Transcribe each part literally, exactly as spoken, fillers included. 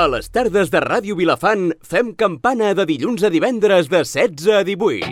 A les tardes de Ràdio Vilafant fem campana de dilluns a divendres de setze a divuit.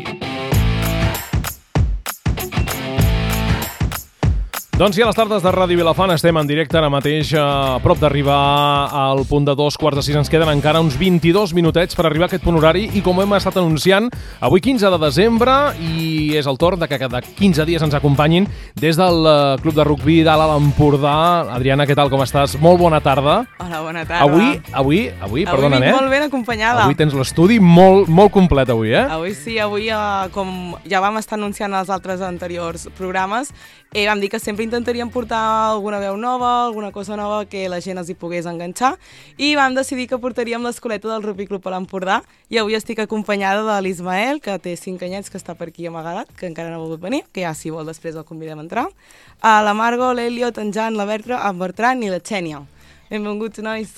Doncs sí, a les tardes de Ràdio Vilafant estem en directe ara mateix, a prop d'arribar al punt de dos quarts de sis. Ens queden encara uns vint-i-dos minutets per arribar a aquest punt horari i com hem estat anunciant, avui quinze de desembre i és el torn de que cada quinze dies ens acompanyin des del Club de Rugby d'Alt Empordà. Adriana, què tal, com estàs? Molt bona tarda. Hola, bona tarda. Avui, avui, avui, perdona, Avui eh? vinc molt ben acompanyada. Avui tens l'estudi molt, molt complet avui, eh? Avui sí, avui, eh, com ja vam estar anunciant els altres anteriors programes, eh, vam dir que sempre intentaríem portar alguna veu nova, alguna cosa nova que la gent els hi pogués enganxar i vam decidir que portaríem l'escoleta del Rugby Club a l'Empordà i avui estic acompanyada de l'Ismael, que té cinc anyets, que està per aquí amagat, que encara no ha volgut venir, que ja si vol després el convidem a entrar, a la Margo, l'Eliot, en Jan, la Bertra, en Bertran i la Xènia. Benvinguts, nois.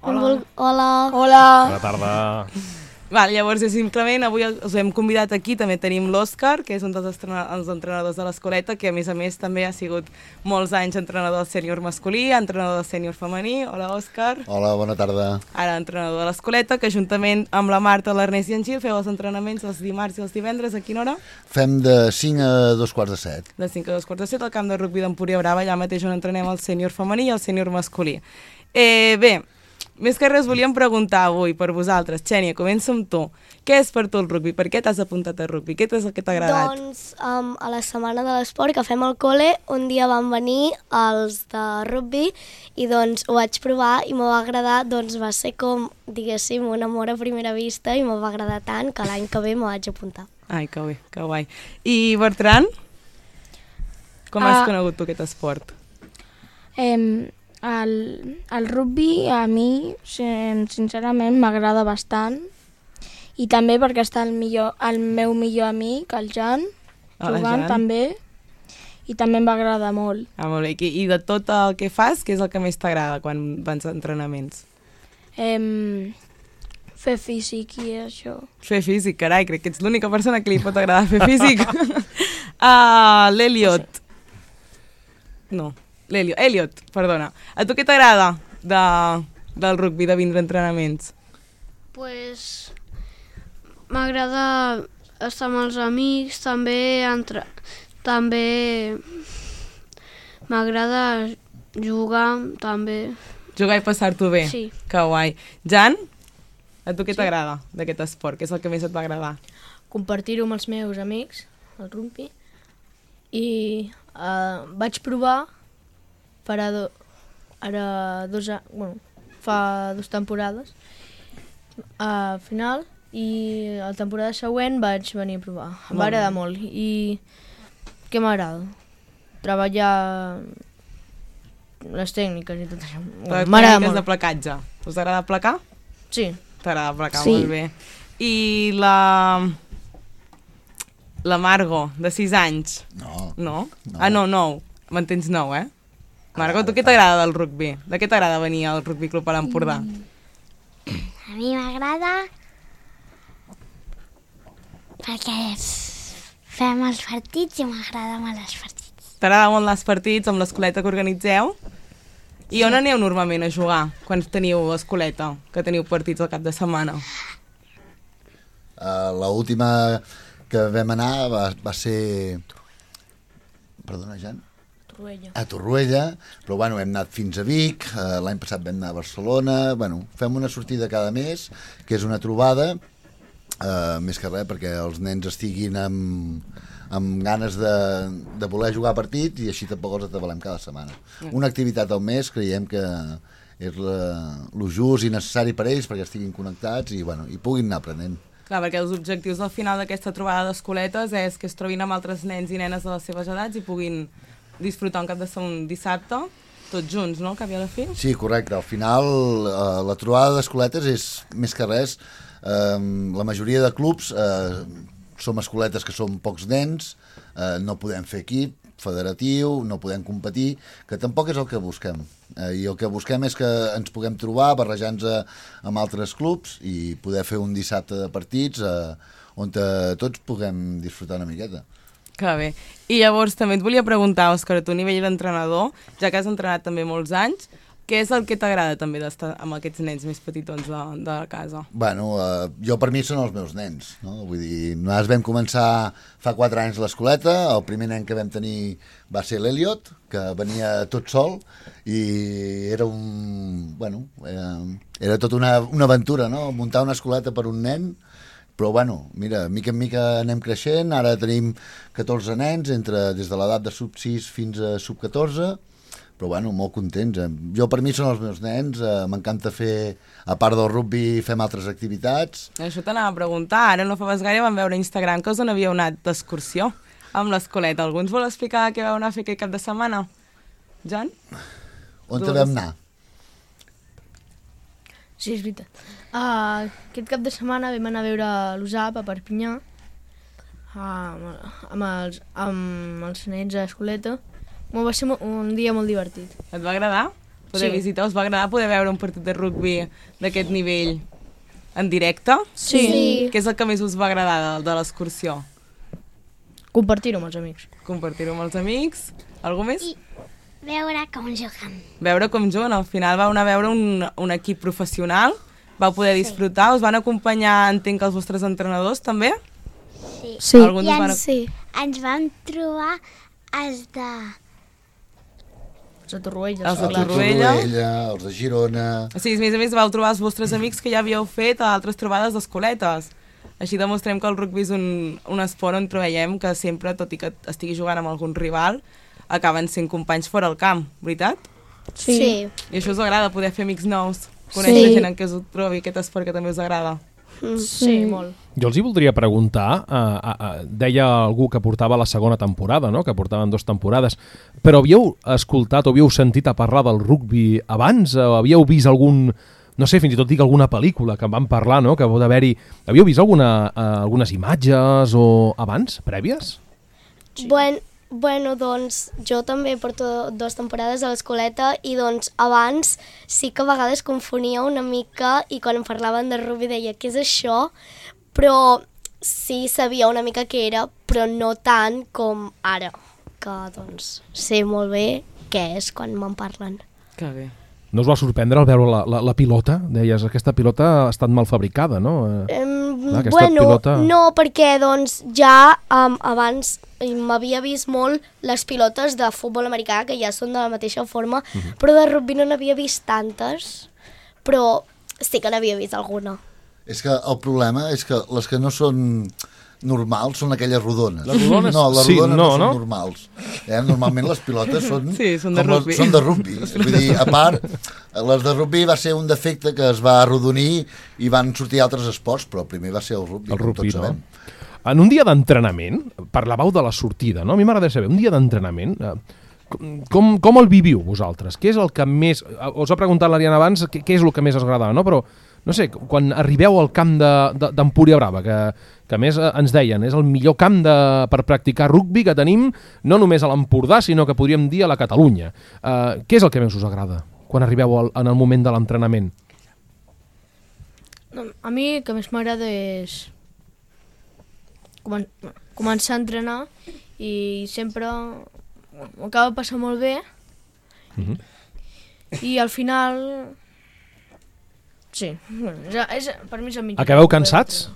Hola. Hola. Hola. Bona tarda. Val, llavors, simplement, avui us hem convidat aquí, també tenim l'Òscar, que és un dels els entrenadors de l'escoleta, que a més a més també ha sigut molts anys entrenador del sènior masculí, entrenador del sènior femení. Hola, Òscar. Hola, bona tarda. Ara entrenador de l'escoleta, que juntament amb la Marta, l'Ernest i en Gil feu els entrenaments els dimarts i els divendres. A quina hora? Fem de cinc a dos quarts de set. De cinc a dos quarts de set al camp de rugby d'Empúria Brava, allà mateix on entrenem el sènior femení i el sènior masculí. Eh, bé, més que res volíem preguntar avui per vosaltres. Xènia, comença amb tu. Què és per tu el rugby? Per què t'has apuntat a rugby? Què és el que t'ha agradat? Doncs um, a la setmana de l'esport que fem al col·le, un dia van venir els de rugby i doncs ho vaig provar i m'ho va agradar, doncs va ser com, diguéssim, un amor a primera vista i m'ho va agradar tant que l'any que ve m'ho vaig apuntar. Ai, que bé, que guai. I Bertran? Com has Uh, conegut tu aquest esport? Eh, el, el rugby a mi, sincerament, m'agrada bastant i també perquè està el, millor, el meu millor amic, el Jan, Ah, jugant Jan. també, i també em va agradar molt. Ah, molt bé. I de tot el que fas, què és el que més t'agrada quan vas a entrenaments? Eh, fer físic i això. Fer físic, carai, crec que ets l'única persona que li pot agradar fer físic. uh, L'Eliot. No, l'Eliot. Eliot, perdona. A tu què t'agrada de, del rugby, de vindre a entrenaments? Pues m'agrada estar amb els amics, també entre... també m'agrada jugar, també. Jugar i passar-t'ho bé? Sí. Que guai. Jan, a tu què t'agrada d'aquest esport? Què és el que més et va agradar? Compartir-ho amb els meus amics, el rugby, i uh, vaig provar farà do, ara dos, bueno, fa dues temporades al final i la temporada següent vaig venir a provar. Em va agradar molt i què m'agrada? Treballar les tècniques i tot això. Les M'agrada tècniques molt. de placatge. Us agrada placar? Sí. T'agrada placar, Sí. molt bé. I la... La Margo, de sis anys. No. No? No. Ah, no, nou. Me'n tens nou, eh? Margo, tu què t'agrada del rugby? De què t'agrada venir al Rugby Club a l'Empordà? A mi m'agrada perquè fem els partits i m'agrada molt els partits. T'agrada molt els partits amb l'escoleta que organitzeu? I on aneu normalment a jugar quan teniu escoleta, que teniu partits al cap de setmana? Uh, L'última que vam anar va, va ser... Perdona, Jan? Torroella. A Torroella, però bueno, hem anat fins a Vic, uh, l'any passat vam anar a Barcelona, bueno, fem una sortida cada mes, que és una trobada, uh, més que res perquè els nens estiguin amb, amb ganes de, de voler jugar a partit i així tampoc els atabalem cada setmana. Una activitat al mes creiem que és el just i necessari per ells perquè estiguin connectats i, bueno, i puguin anar aprenent. Clar, perquè els objectius al final d'aquesta trobada d'escoletes és que es trobin amb altres nens i nenes de les seves edats i puguin disfrutar un cap de setmana, un dissabte, tots junts, no?, cap i a la fi? Sí, correcte. Al final, eh, la trobada d'escoletes és, més que res, eh, la majoria de clubs eh, som escoletes que som pocs nens, eh, no podem fer equip federatiu, no podem competir, que tampoc és el que busquem. Eh, I el que busquem és que ens puguem trobar, barrejar-nos amb altres clubs i poder fer un dissabte de partits eh, on tots puguem disfrutar una miqueta. Que bé. I llavors també et volia preguntar, Òscar, a tu a nivell d'entrenador, ja que has entrenat també molts anys, Què és el que t'agrada també d'estar amb aquests nens més petitons de, de casa? Bueno, uh, jo per mi són els meus nens, no? Vull dir, nosaltres vam començar fa quatre anys l'escoleta, el primer nen que vam tenir va ser l'Eliot, que venia tot sol, i era un... bueno, era, era tot una, una aventura, no? Muntar una escoleta per un nen, però bueno, mira, mica en mica anem creixent, ara tenim catorze nens, entre, des de l'edat de sub sis fins a sub catorze, però bueno, molt contents. Jo per mi són els meus nens, eh, m'encanta fer, a part del rugby, fem altres activitats. Això t'anava a preguntar, ara no fa pas gaire vam veure a Instagram que us on havíeu anat d'excursió amb l'escoleta. Algú ens vol explicar què vau anar a fer aquest cap de setmana? Jan? On te vam anar? Sí, és veritat. Uh, aquest cap de setmana vam anar a veure l'U S A P a Perpinyà uh, amb, els, amb els nens a l'escoleta. Va ser un dia molt divertit. Et va agradar poder Sí. visitar? Us va agradar poder veure un partit de rugby d'aquest nivell en directe? Sí. Sí. Què és el que més us va agradar de, de l'excursió? Compartir-ho amb els amics. Compartir-ho amb els amics? Algú més? I veure com juguen. Veure com juguen. Al final vau anar a veure un, un equip professional, vau poder disfrutar, us van acompanyar, entenc, els vostres entrenadors també? Sí. Sí. Alguns I us van... ens, Sí. ens vam trobar els de... Els de Torroella. Els de clar. Torroella. Torroella, els de Girona... O sigui, a més a més vau trobar els vostres amics que ja havíeu fet a altres trobades d'escoletes. Així demostrem que el rugby és un, un esport on trobem que sempre, tot i que estigui jugant amb algun rival, acaben sent companys fora al camp, veritat? Sí. Sí. I això us agrada, poder fer amics nous, conèixer Sí. gent en què us trobi aquest esport que també us agrada. Sí, molt. Jo els hi voldria preguntar, uh, uh, uh, deia algú que portava la segona temporada, no? Que portaven dues temporades, però havíeu escoltat o havíeu sentit a parlar del rugby abans? O havíeu vist algun, no sé, fins i tot dic alguna pel·lícula que en van parlar, no? Que pot haver-hi... Havíeu vist alguna, uh, algunes imatges o abans, prèvies? Sí. Bueno, bueno, doncs jo també porto dues temporades a l'escoleta i doncs abans sí que a vegades confonia una mica i quan em parlaven de rugby deia què és això, però sí sabia una mica què era, però no tant com ara, que doncs sé molt bé què és quan me'n parlen. Que bé. No us va sorprendre al veure la, la, la pilota? Deies, aquesta pilota ha estat mal fabricada, no? Eh, Um, Clar, aquesta bueno, pilota- no, perquè doncs ja um, abans m'havia vist molt les pilotes de futbol americà, que ja són de la mateixa forma, Mhm. però de rugby no n'havia vist tantes, però sí que n'havia vist alguna. És que el problema és que les que no són normals són aquelles rodones. Les rodones, no, les sí, rodones no, no, són no? normals. Eh? Normalment les pilotes són, Sí, són de com les- rugby. són de rugby. Vull dir, a part, les de rugby va ser un defecte que es va arrodonir i van sortir altres esports, però el primer va ser el rugby, El com rugby, tots no? sabem. En un dia d'entrenament, parlàveu de la sortida, no? A mi m'agradaria saber, un dia d'entrenament, eh, com, com el viviu vosaltres? Què és el que més... Us ha preguntat l'Ariana abans què, què és el que més us agradava, no? Però, no sé, quan arribeu al camp d'Empúria de, Brava, que, que a més eh, ens deien, és el millor camp de, per practicar rugby que tenim, no només a l'Empordà, sinó que podríem dir a la Catalunya. Eh, què és el que més us agrada quan arribeu al, en el moment de l'entrenament? No, a mi el que més m'agrada és comen començar a entrenar i sempre m'ho acaba passant molt bé Mhm. i al final sí, bueno, és, és, per mi és el millor. Acabeu cansats?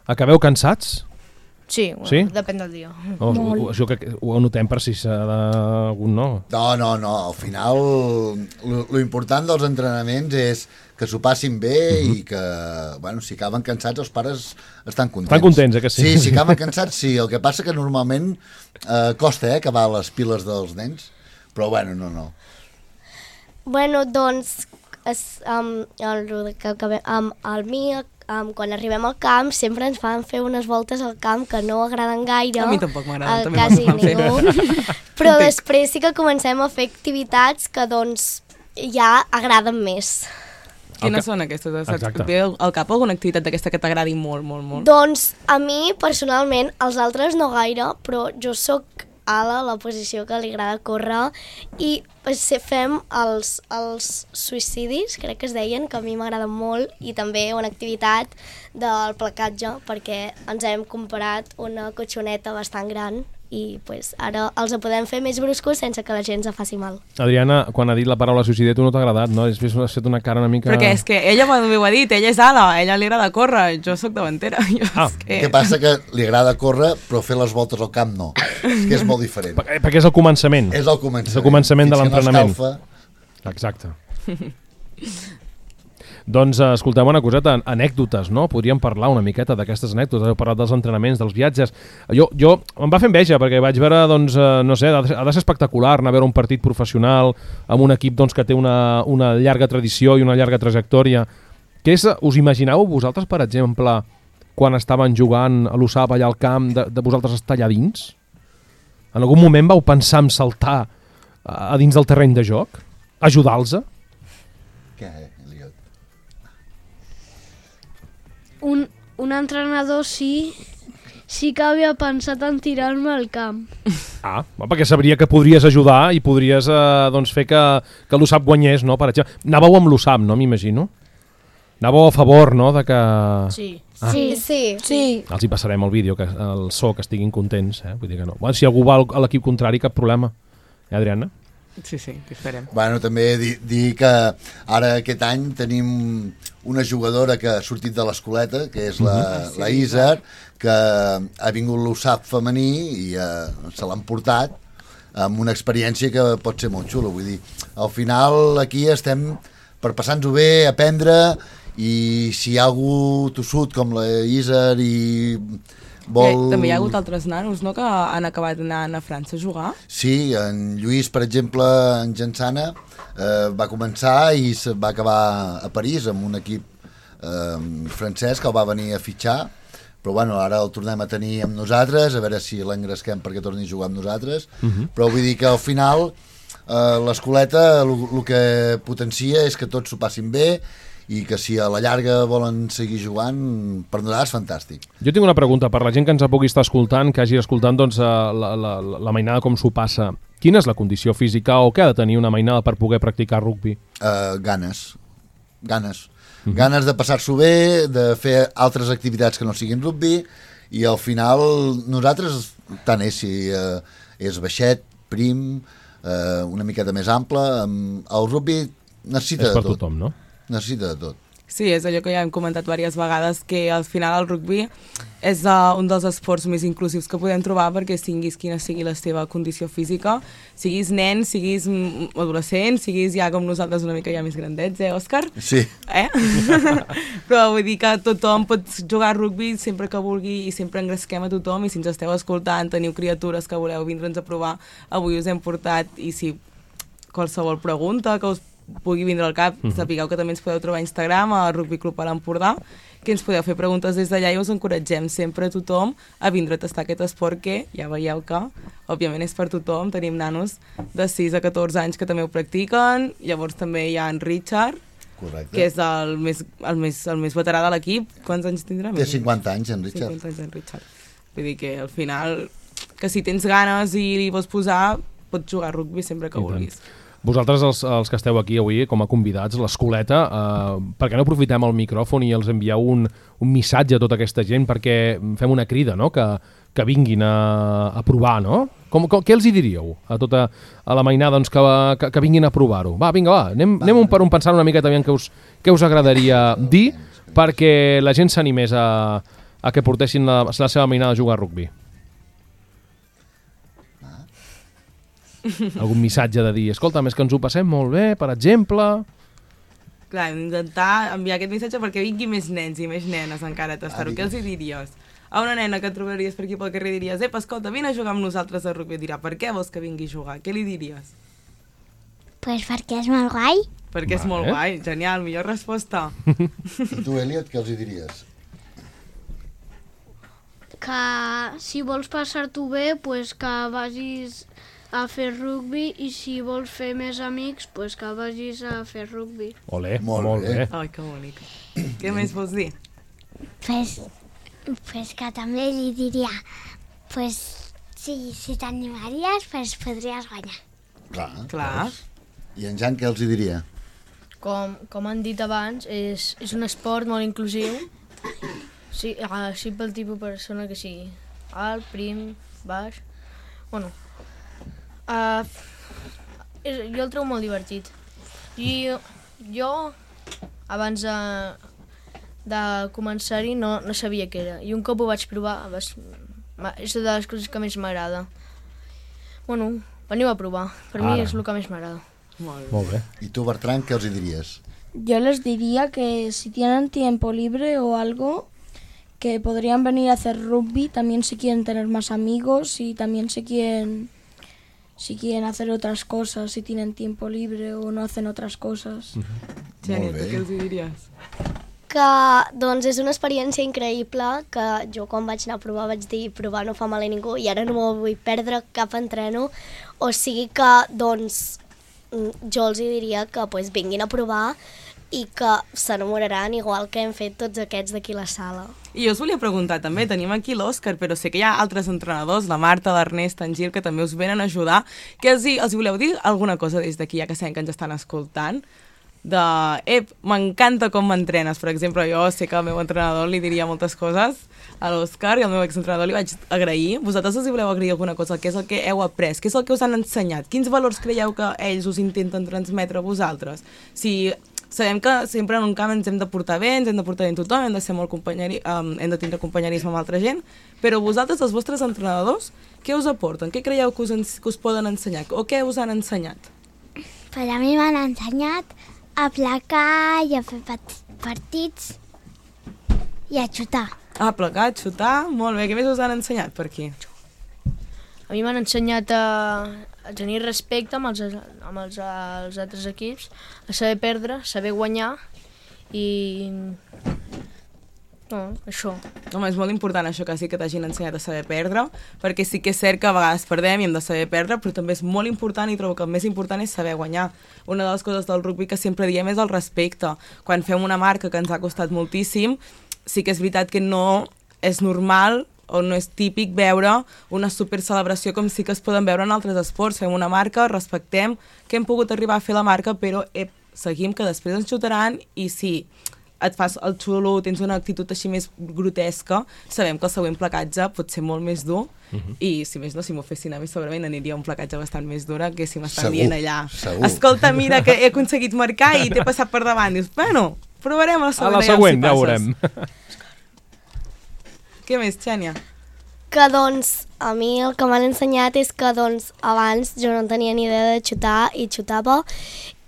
Acabeu cansats? Sí, bueno, Sí? depèn del dia. No, ho, això que ho notem per si s'ha d'algun no. No, no, no, al final lo, lo important dels entrenaments és que s'ho passin bé uh -huh. i que, bueno, si acaben cansats els pares estan contents. Estan contents, eh, que sí? Sí, si acaben cansats sí, el que passa que normalment eh, costa eh, acabar les piles dels nens, però bueno, no, no. Bueno, doncs, es, um, el, que, que, um, el mi, um, quan arribem al camp, sempre ens fan fer unes voltes al camp que no agraden gaire. A mi tampoc m'agraden, a també quasi me'n fan fer. ningú. Però Entenc. després sí que comencem a fer activitats que, doncs, ja agraden més. Quines són aquestes? Saps? Exacte. Et ve al cap alguna activitat d'aquesta que t'agradi molt, molt, molt? Doncs a mi, personalment, els altres no gaire, però jo sóc ala, la posició que li agrada córrer, i pues, fem els, els suïcidis, crec que es deien, que a mi m'agrada molt, i també una activitat del placatge, perquè ens hem comprat una cotxoneta bastant gran i pues, ara els podem fer més bruscos sense que la gent se faci mal. Adriana, quan ha dit la paraula suïcidi, tu no t'ha agradat, no? Has fet una cara una mica... Perquè és que ella també ho ha dit, ella és ala, a ella li agrada córrer, jo sóc davantera. Jo Ah. és que... Què passa? Que li agrada córrer, però fer les voltes al camp no. És que és molt diferent. Per- perquè és el començament. És el començament. És el començament de Fins que no l'entrenament. escalfa. Exacte. Doncs eh, escolteu una coseta, anècdotes, no? Podríem parlar una miqueta d'aquestes anècdotes, heu parlat dels entrenaments, dels viatges. Jo, jo em va fer enveja perquè vaig veure, doncs, eh, no sé, ha de ser, ha de ser espectacular anar a veure un partit professional amb un equip doncs, que té una, una llarga tradició i una llarga trajectòria. Què és, us imagineu vosaltres, per exemple, quan estaven jugant a l'U S A P allà al camp, de, de vosaltres estar allà dins? En algun moment vau pensar en saltar a, a dins del terreny de joc? Ajudar-los? Què, Eliot? Un, un entrenador sí, sí que havia pensat en tirar-me al camp. Ah, perquè sabria que podries ajudar i podries eh, doncs fer que, que l'U S A P guanyés, no? Per exemple, anàveu amb l'U S A P, no? M'imagino. Anàveu a favor, no?, de que... Sí. Ah. Sí, sí. sí. Els hi passarem el vídeo, que el so, que estiguin contents, eh? Vull dir que no. Bueno, si algú va a l'equip contrari, cap problema. Eh, Adriana? Sí, sí, que esperem. Bueno, també dir, dir que ara aquest any tenim una jugadora que ha sortit de l'escoleta, que és la, Ah, sí, la Isar, que ha vingut l'U S A P femení i eh, se l'han portat amb una experiència que pot ser molt xula. Vull dir, al final aquí estem per passar-nos-ho bé, aprendre, i si hi ha algú tossut com la Isar i vol... Eh, també hi ha hagut altres nanos, no?, que han acabat anant a França a jugar. Sí, en Lluís, per exemple, en Gensana, eh, va començar i se va acabar a París amb un equip eh, francès que el va venir a fitxar, però bueno, ara el tornem a tenir amb nosaltres, a veure si l'engresquem perquè torni a jugar amb nosaltres, Mhm. però vull dir que al final eh, l'escoleta el que potencia és que tots s'ho passin bé i que si a la llarga volen seguir jugant, per nosaltres és fantàstic. Jo tinc una pregunta per la gent que ens pugui estar escoltant, que hagi escoltant doncs, eh, la, la, la mainada com s'ho passa. Quina és la condició física o què ha de tenir una mainada per poder practicar rugbi? Uh, ganes. Ganes. Mm-hmm. Ganes de passar-s'ho bé, de fer altres activitats que no siguin rugbi, i al final nosaltres, tant és si uh, és baixet, prim, uh, una miqueta més ample, um, el rugbi necessita És per de tot. tothom, no? Necessita de tot. Sí, és allò que ja hem comentat diverses vegades, que al final el rugbi és uh, un dels esports més inclusius que podem trobar, perquè siguis quina sigui la teva condició física, siguis nen, siguis adolescent, siguis ja com nosaltres una mica ja més grandets, eh, Òscar? Sí. Eh? Però vull dir que tothom pot jugar a rugbi sempre que vulgui i sempre engresquem a tothom, i si ens esteu escoltant, teniu criatures que voleu vindre'ns a provar, avui us hem portat, i si qualsevol pregunta que us pugui vindre al cap, Mhm. sapigueu que també ens podeu trobar a Instagram, a Rugby Club a l'Empordà, que ens podeu fer preguntes des d'allà i us encoratgem sempre a tothom a vindre a tastar aquest esport que ja veieu que, òbviament, és per tothom. Tenim nanos de sis a catorze anys que també ho practiquen, llavors també hi ha en Richard, Correcte. que és el més, el més, el més veterà de l'equip. Quants anys tindrà? Té cinquanta anys, en Richard. cinquanta anys, en Richard. Vull dir que al final, que si tens ganes i li vols posar, pots jugar a rugbi sempre que I tant. vulguis. Vosaltres, els, els que esteu aquí avui com a convidats, l'escoleta, eh, per què no aprofitem el micròfon i els envieu un, un missatge a tota aquesta gent perquè fem una crida, no?, que, que vinguin a, a provar, no? Com, com, què els hi diríeu a tota a la mainada, doncs, que, que, que vinguin a provar-ho? Va, vinga, va, anem, anem un per un pensant una miqueta aviam què us, què us agradaria dir perquè la gent s'animés a, a que portessin la, la seva mainada a jugar a rugbi. Algun missatge de dir, escolta, més que ens ho passem molt bé, per exemple... Clar, hem d'intentar enviar aquest missatge perquè vingui més nens i més nenes encara a tastar-ho. Ah, Què els hi diries? A una nena que et trobaries per aquí pel carrer diries, ep, escolta, vine a jugar amb nosaltres a rugby. Dirà, per què vols que vingui a jugar? Què li diries? Pues perquè és molt guai. Perquè és Vale. molt guai. Genial, millor resposta. I tu, Eliot, què els hi diries? Que si vols passar-t'ho bé, pues que vagis a fer rugbi, i si vols fer més amics, pues que vagis a fer rugbi. Olé, Molt molt, bé. bé. Ai, que bonic. Què més vols dir? Pues, pues que també li diria, pues, si, si t'animaries, pues podries guanyar. Clar. Clar. Doncs. I en Jan què els hi diria? Com, com han dit abans, és, és un esport molt inclusiu. Sí, així pel tipus de persona que sigui. Alt, prim, baix. Bueno, uh, jo el trobo molt divertit. I jo, abans de, de començar-hi, no, no sabia què era. I un cop ho vaig provar, vas, és de les coses que més m'agrada. Bueno, veniu a provar. Per Ara. mi és el que més m'agrada. Molt bé. I tu, Bertran, què els hi diries? Yo les diría que si tienen tiempo libre o algo, que podrían venir a hacer rugby, también si quieren tener más amigos y también si quieren, si quieren hacer otras cosas, si tienen tiempo libre o no hacen otras cosas. Mm-hmm. Geni, tu què els hi diries? Que doncs és una experiència increïble, que jo quan vaig anar a provar vaig dir provar no fa mal a ningú i ara no m'ho vull perdre cap entreno, o sigui que doncs jo els hi diria que pues, vinguin a provar i que s'enamoraran igual que hem fet tots aquests d'aquí a la sala. I jo us volia preguntar també, tenim aquí l'Òscar, però sé que hi ha altres entrenadors, la Marta, l'Ernest, en Gil, que també us venen a ajudar. Que els, hi, els voleu dir alguna cosa des d'aquí, ja que sabem que ens estan escoltant? De, ep, m'encanta com m'entrenes. Per exemple, jo sé que al meu entrenador li diria moltes coses a l'Òscar i al meu exentrenador li vaig agrair. Vosaltres els hi voleu agrair alguna cosa? Què és el que heu après? Què és el que us han ensenyat? Quins valors creieu que ells us intenten transmetre a vosaltres? Si sabem que sempre en un camp ens hem de portar bé, ens hem de portar bé amb tothom, hem de ser molt companyeri, um, hem de tindre companyerisme amb altra gent, però vosaltres, els vostres entrenadors, què us aporten? Què creieu que us, que us poden ensenyar? O què us han ensenyat? Per a mi m'han ensenyat a placar i a fer partits i a xutar. Ah, placar, xutar, molt bé. Què més us han ensenyat per aquí? A mi m'han ensenyat a, a tenir respecte amb, els, amb els, els altres equips, a saber perdre, a saber guanyar i... No, això. Home, és molt important això que sí que t'hagin ensenyat a saber perdre, perquè sí que és cert que a vegades perdem i hem de saber perdre, però també és molt important i trobo que el més important és saber guanyar. Una de les coses del rugby que sempre diem és el respecte. Quan fem una marca que ens ha costat moltíssim, sí que és veritat que no és normal o no és típic veure una super celebració com sí que es poden veure en altres esports. Fem una marca, respectem que hem pogut arribar a fer la marca, però eh, seguim que després ens xutaran i sí, et fas el xulo, tens una actitud així més grotesca, sabem que el següent placatge pot ser molt més dur uh-huh. i si més no, si m'ho fessin a mi segurament aniria un placatge bastant més dura que si m'estan segur, dient allà segur. Escolta, mira que he aconseguit marcar i t'he passat per davant. Dius, bueno, provarem la següent. A la següent, ja ho veurem. Què més, Xènia? Que doncs a mi el que m'han ensenyat és que doncs abans jo no tenia ni idea de xutar i xutava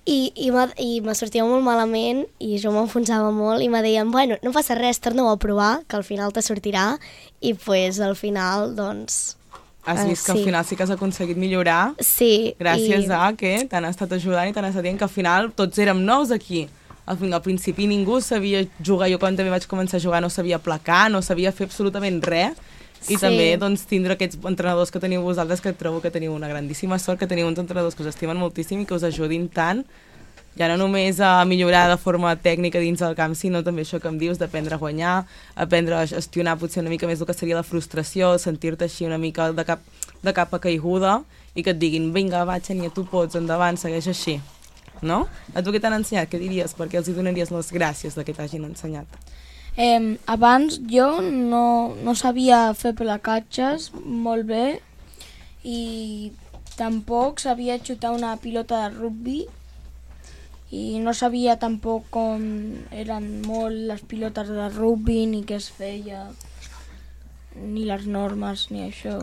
i, i, i me sortia molt malament i jo m'enfonsava molt i me deien, bueno, no passa res, torna-ho a provar, que al final te sortirà i pues al final doncs... Has vist que sí. Al final sí que has aconseguit millorar? Sí. Gràcies i... a que t'han estat ajudant i t'han estat dient que al final tots érem nous aquí. Al, al principi ningú sabia jugar, jo quan també vaig començar a jugar no sabia placar, no sabia fer absolutament res i sí. També doncs, tindre aquests entrenadors que teniu vosaltres, que trobo que teniu una grandíssima sort, que teniu uns entrenadors que us estimen moltíssim i que us ajudin tant, ja no només a millorar de forma tècnica dins del camp, sinó també això que em dius d'aprendre a guanyar, aprendre a gestionar potser una mica més el que seria la frustració, sentir-te així una mica de cap, de cap a caiguda i que et diguin, vinga, va, Xènia, tu pots, endavant, segueix així. No? A tu què t'han ensenyat? Què diries? Per què els hi donaries les gràcies de que t'hagin ensenyat? Eh, abans jo no, no sabia fer placatges molt bé i tampoc sabia xutar una pilota de rugby i no sabia tampoc com eren molt les pilotes de rugby ni què es feia ni les normes ni això.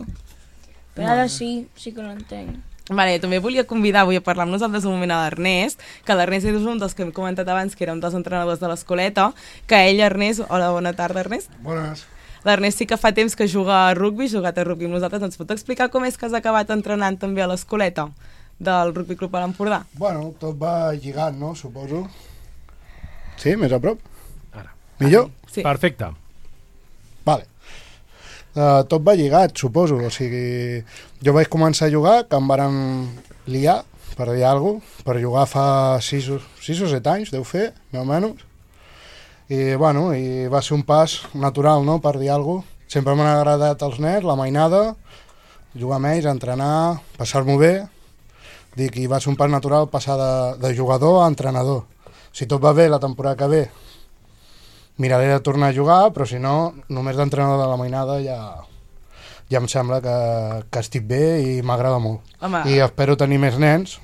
Però no. Ara sí, sí que ho entenc. Vale, també volia convidar avui a parlar amb nosaltres un moment a l'Ernest, que l'Ernest és un dels que hem comentat abans, que era un dels entrenadors de l'escoleta, que ell, Ernest... Hola, bona tarda, Ernest. Bones. L'Ernest sí que fa temps que juga a rugby, jugat a rugby amb nosaltres. Ens pot explicar com és que has acabat entrenant també a l'escoleta del Rugby Club a l'Empordà? Bueno, tot va lligant, no? Suposo. Sí, més a prop? Ara. Millor? Sí. Perfecte. Vale. Uh, tot va lligat, suposo, o sigui, jo vaig començar a jugar, que em varen liar, per dir alguna cosa, per jugar fa sis o set anys, deu fer, més o menys, i bueno, i va ser un pas natural, no?, per dir alguna cosa. Sempre m'han agradat els nens, la mainada, jugar amb ells, entrenar, passar-m'ho bé, dic, i va ser un pas natural passar de, de jugador a entrenador. Si tot va bé la temporada que ve, miraré de tornar a jugar, però si no, només d'entrenador de la mainada ja, ja em sembla que, que estic bé i m'agrada molt. Home. I espero tenir més nens,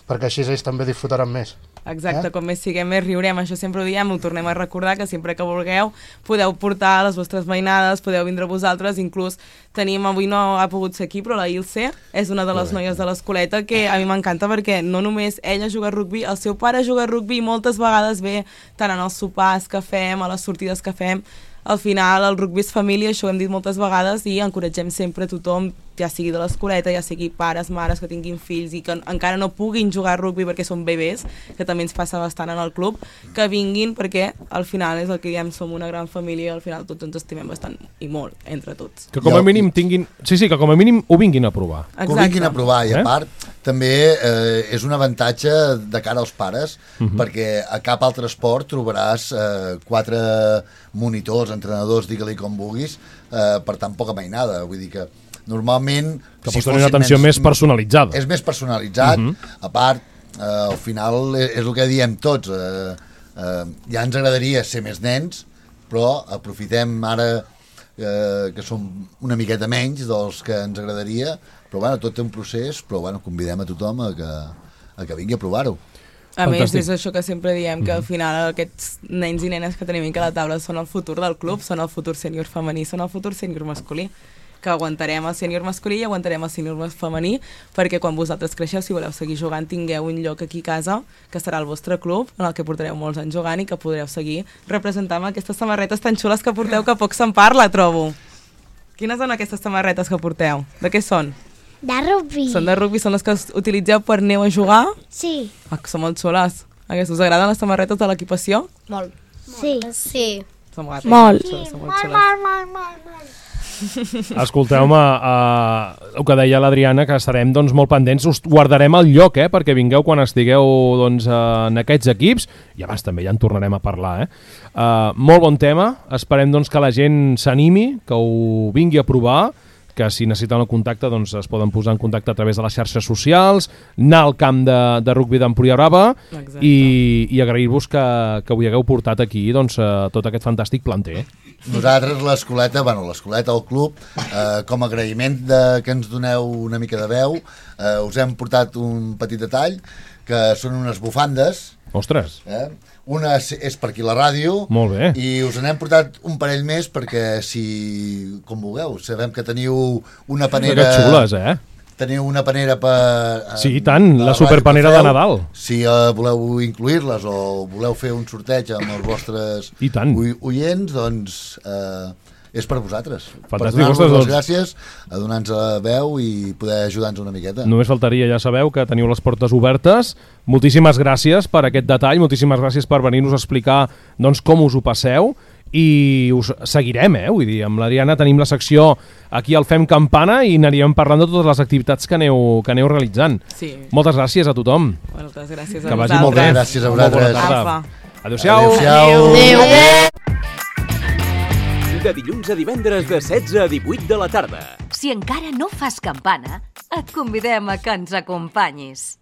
perquè així ells també disfrutaran més. Exacte, Eh? com més siguem, més riurem. Això sempre ho diem, ho tornem a recordar, que sempre que vulgueu podeu portar les vostres veïnades, podeu vindre vosaltres, inclús tenim, avui no ha pogut ser aquí, però la Ilse és una de les Correcte. noies de l'escoleta que a mi m'encanta perquè no només ella juga a rugbi, el seu pare juga a rugbi i moltes vegades ve tant en els sopars que fem, a les sortides que fem. Al final el rugbi és família, això ho hem dit moltes vegades i encoratgem sempre a tothom, ja sigui de l'escoleta, ja sigui pares, mares que tinguin fills i que encara no puguin jugar a rugbi perquè són bebès, que també ens passa bastant en el club, que vinguin perquè al final és el que diem, som una gran família i al final tots ens estimem bastant i molt entre tots. Que com a mínim tinguin... Sí, sí, que com a mínim ho vinguin a provar. Que ho vinguin a provar i a Eh? part també eh, és un avantatge de cara als pares Mhm. perquè a cap altre esport trobaràs eh, quatre monitors, entrenadors, digue-li com vulguis, eh, per tan poca mainada. Vull dir que normalment... Que pots tenir una atenció més personalitzada. És més personalitzat. Mhm. A part, eh, al final és, és el que diem tots. Eh, eh, ja ens agradaria ser més nens, però aprofitem ara eh, que som una miqueta menys dels que ens agradaria, però bueno, tot té un procés, però bueno, convidem a tothom a que, a que vingui a provar-ho. A més, Fantàstic. és això que sempre diem, que al final aquests nens i nenes que tenim aquí a la taula són el futur del club, són el futur sènior femení, són el futur sènior masculí, que aguantarem el sènior masculí i aguantarem el sènior femení, perquè quan vosaltres creixeu, si voleu seguir jugant, tingueu un lloc aquí a casa, que serà el vostre club, en el que portareu molts anys jugant i que podreu seguir representant amb aquestes samarretes tan xules que porteu, que poc se'n parla, trobo. Quines són aquestes samarretes que porteu? De què són? De rugbi. Són de rugbi, són les que us utilitzeu per aneu a jugar? Sí. Ah, que són molt xules. Aquestes, us agraden les samarretes de l'equipació? Molt. Sí. Sí. Són molt, Molt. xules, són molt Molt, xules. molt, molt, molt, molt. Escolteu-me, uh, el que deia l'Adriana, que estarem doncs, molt pendents, us guardarem el lloc, eh, perquè vingueu quan estigueu doncs, uh, en aquests equips, i abans també ja en tornarem a parlar. Eh? Uh, molt bon tema, esperem doncs, que la gent s'animi, que ho vingui a provar, que si necessiten el contacte doncs, es poden posar en contacte a través de les xarxes socials, anar al camp de, de rugbi d'Empúria Brava i, i agrair-vos que, que ho hagueu portat aquí doncs, uh, tot aquest fantàstic planter. Nosaltres, l'escoleta, bueno, l'escoleta, el club, eh, com a agraïment de, que ens doneu una mica de veu, eh, us hem portat un petit detall, que són unes bufandes. Ostres! Eh? Una és, és per aquí la ràdio. Molt bé. I us n'hem portat un parell més perquè, si, com vulgueu, sabem que teniu una panera... Que xules, eh? Teniu una panera per... Eh, Sí, i tant, la ràdio superpanera que de feu. Nadal. Si eh, voleu incluir-les o voleu fer un sorteig amb els vostres I tant. oi- oients, doncs eh, és per vosaltres. Fantàstic, per donar-vos ostres, les doncs. gràcies, a donar-nos la veu i poder ajudar-nos una miqueta. Només faltaria, ja sabeu que teniu les portes obertes. Moltíssimes gràcies per aquest detall, moltíssimes gràcies per venir-nos a explicar doncs, com us ho passeu i us seguirem, eh? Vull dir, amb l'Adriana tenim la secció aquí al Fem Campana i anirem parlant de totes les activitats que aneu, que aneu realitzant. Sí. Moltes gràcies a tothom. Moltes gràcies a Que vagi molt bé. Gràcies a Molt bona vosaltres. tarda. Apa. Adéu-siau. Adéu-siau. Adéu. De dilluns a divendres de setze a divuit de la tarda. Si encara no fas campana, et convidem a que ens acompanyis.